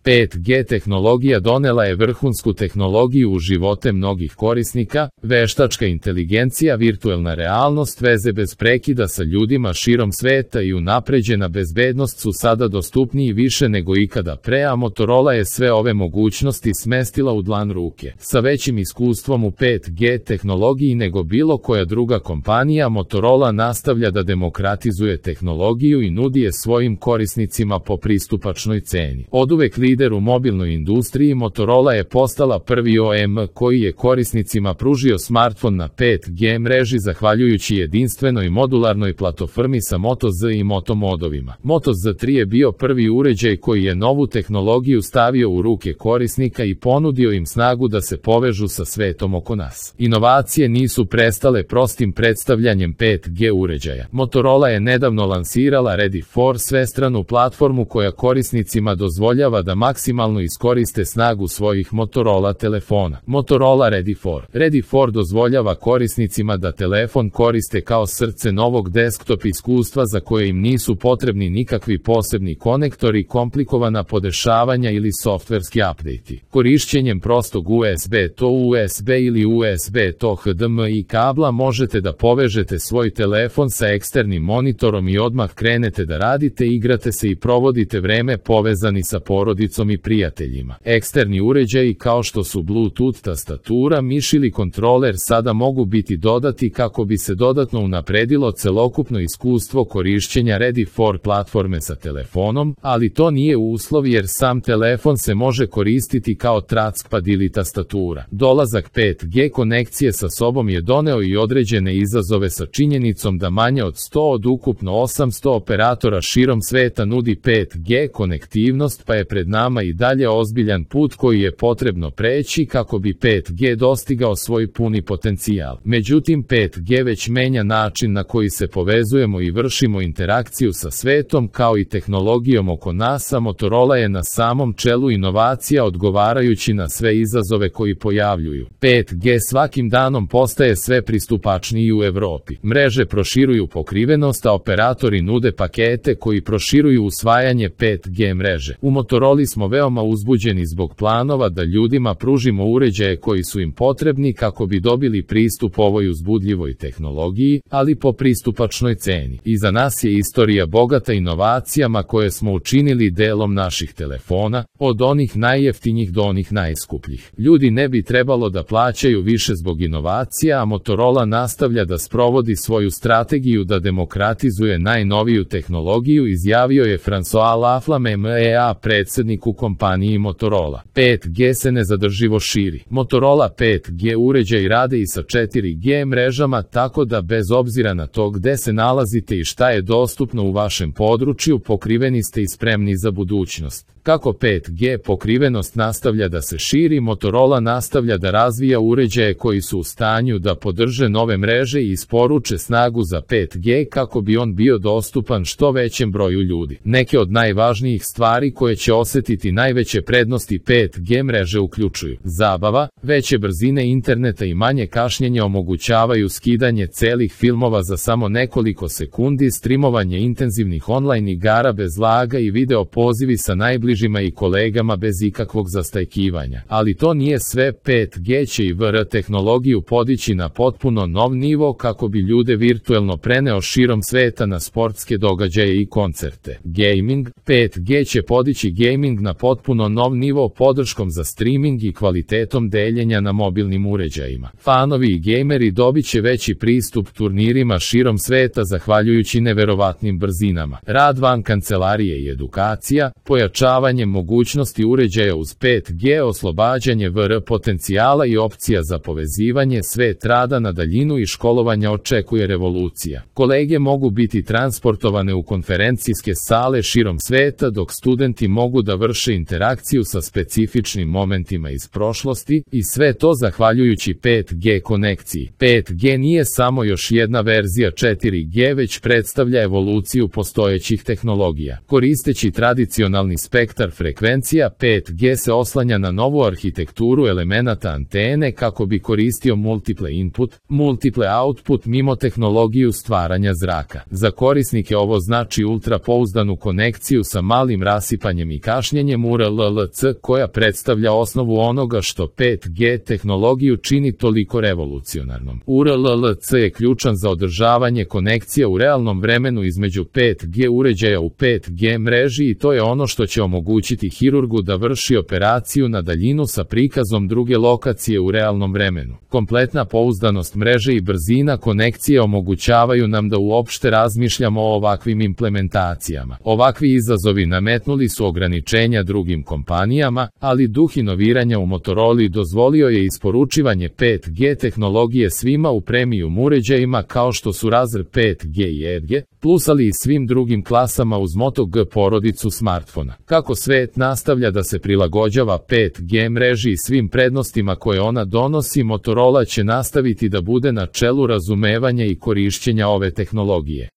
5G tehnologija donela je vrhunsku tehnologiju u živote mnogih korisnika, veštačka inteligencija, virtuelna realnost, veze bez prekida sa ljudima širom sveta i unapređena bezbednost su sada dostupniji više nego ikada pre, a Motorola je sve ove mogućnosti smestila u dlan ruke. Sa većim iskustvom u 5G tehnologiji nego bilo koja druga kompanija, Motorola nastavlja da demokratizuje tehnologiju i nudi je svojim korisnicima po pristupačnoj ceni. Oduvek lider u mobilnoj industriji, Motorola je postala prvi OEM koji je korisnicima pružio smartfon na 5G mreži zahvaljujući jedinstvenoj modularnoj platformi sa Moto Z i Moto modovima. Moto Z3 je bio prvi uređaj koji je novu tehnologiju stavio u ruke korisnika i ponudio im snagu da se povežu sa svetom oko nas. Inovacije nisu prestale prostim predstavljanjem 5G uređaja. Motorola je nedavno lansirala Ready4, svestranu platformu koja korisnicima dozvoljava da maksimalno iskoriste snagu svojih Motorola telefona. Motorola Ready4. Ready4 dozvoljava korisnicima da telefon koriste kao srce novog desktop iskustva za koje im nisu potrebni nikakvi posebni konektori, komplikovana podešavanja ili softverski update-i. Korišćenjem prostog USB to USB ili USB to HDMI kabla možete da povežete svoj telefon sa eksternim monitorom i odmah krenete da radite, igrate se i provodite vreme povezani sa porodicom i prijateljima. Eksterni uređaji kao što su Bluetooth tastatura, miš ili kontroler sada mogu biti dodati kako bi se dodatno unapredilo celokupno iskustvo korišćenja Ready4 platforme sa telefonom, ali to nije uslov jer sam telefon se može koristiti kao trackpad ili tastatura. Dolazak 5G konekcije sa sobom je doneo i određene izazove sa činjenicom da manje od 100 od ukupno 800 operatora širom sveta nudi 5G konektivnost, pa je pred nama i dalje ozbiljan put koji je potrebno preći kako bi 5G dostigao svoj puni potencijal. Međutim, 5G već menja način na koji se povezujemo i vršimo interakciju sa svetom kao i tehnologijom oko nas, a Motorola je na samom čelu inovacija odgovarajući na sve izazove koji pojavljuju. 5G svakim danom postaje sve pristupačniji u Evropi. Mreže proširuju pokrivenost, a operatori nude pakete koji proširuju usvajanje 5G mreže. U Motoroli smo veoma uzbuđeni zbog planova da ljudima pružimo uređaje koji su im potrebni kako bi dobili pristup ovoj uzbudljivoj tehnologiji, ali po pristupačnoj ceni. Iza nas je istorija bogata inovacijama koje smo učinili delom naših telefona, od onih najjeftinjih do onih najskupljih. Ljudi ne bi trebalo da plaćaju više zbog inovacija, a Motorola nastavlja da sprovodi svoju strategiju da demokratizuje najnoviju tehnologiju, izjavio je François Laflamme MEA, predsednik u kompaniji Motorola. 5G se nezadrživo širi. Motorola 5G uređaj rade i sa 4G mrežama, tako da bez obzira na to gde se nalazite i šta je dostupno u vašem području, pokriveni ste i spremni za budućnost. Kako 5G pokrivenost nastavlja da se širi, Motorola nastavlja da razvija uređaje koji su u stanju da podrže nove mreže i isporuče snagu za 5G kako bi on bio dostupan što većem broju ljudi. Neke od najvažnijih stvari koje će osetiti najveće prednosti 5G mreže uključuju zabava, veće brzine interneta i manje kašnjenja omogućavaju skidanje celih filmova za samo nekoliko sekundi, streamovanje intenzivnih online igara bez laga i video pozivi sa najbližima i kolegama bez ikakvog zastajkivanja. Ali to nije sve, 5G će i VR tehnologiju podići na potpuno nov nivo kako bi ljude virtuelno preneo širom sveta na sportske događaje i koncerte. Gaming, 5G će podići gaming na potpuno nov nivo podrškom za streaming i kvalitetom deljenja na mobilnim uređajima. Fanovi i gejmeri dobit će veći pristup turnirima širom sveta zahvaljujući neverovatnim brzinama. Rad van kancelarije i edukacija, pojačavanje mogućnosti uređaja uz 5G, oslobađanje VR potencijala i opcija za povezivanje, svet rada na daljinu i školovanja očekuje revolucija. Kolege mogu biti transportovane u konferencijske sale širom sveta, dok studenti mogu da vrše interakciju sa specifičnim momentima iz prošlosti, i sve to zahvaljujući 5G konekciji. 5G nije samo još jedna verzija 4G, već predstavlja evoluciju postojećih tehnologija. Koristeći tradicionalni spektrum spektar frekvencija 5G se oslanja na novu arhitekturu elemenata antene kako bi koristio multiple input, multiple output mimo tehnologiju stvaranja zraka. Za korisnike ovo znači ultrapouzdanu konekciju sa malim rasipanjem i kašnjenjem URLLC koja predstavlja osnovu onoga što 5G tehnologiju čini toliko revolucionarnom. URLLC je ključan za održavanje konekcija u realnom vremenu između 5G uređaja u 5G mreži i to je ono što će omogućiti hirurgu da vrši operaciju na daljinu sa prikazom druge lokacije u realnom vremenu. Kompletna pouzdanost mreže i brzina konekcije omogućavaju nam da uopšte razmišljamo o ovakvim implementacijama. Ovakvi izazovi nametnuli su ograničenja drugim kompanijama, ali duh inoviranja u Motorola dozvolio je isporučivanje 5G tehnologije svima u premium uređajima kao što su Razer 5G i Edge, plus ali i svim drugim klasama uz Moto G porodicu smartfona. Kako svet nastavlja da se prilagođava 5G mreži i svim prednostima koje ona donosi, Motorola će nastaviti da bude na čelu razumevanja i korišćenja ove tehnologije.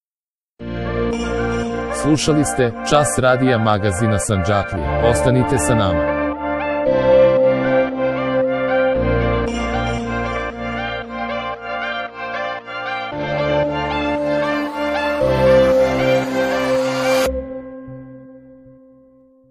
Slušali ste Čas radija magazina Sandžaklija. Ostanite sa nama.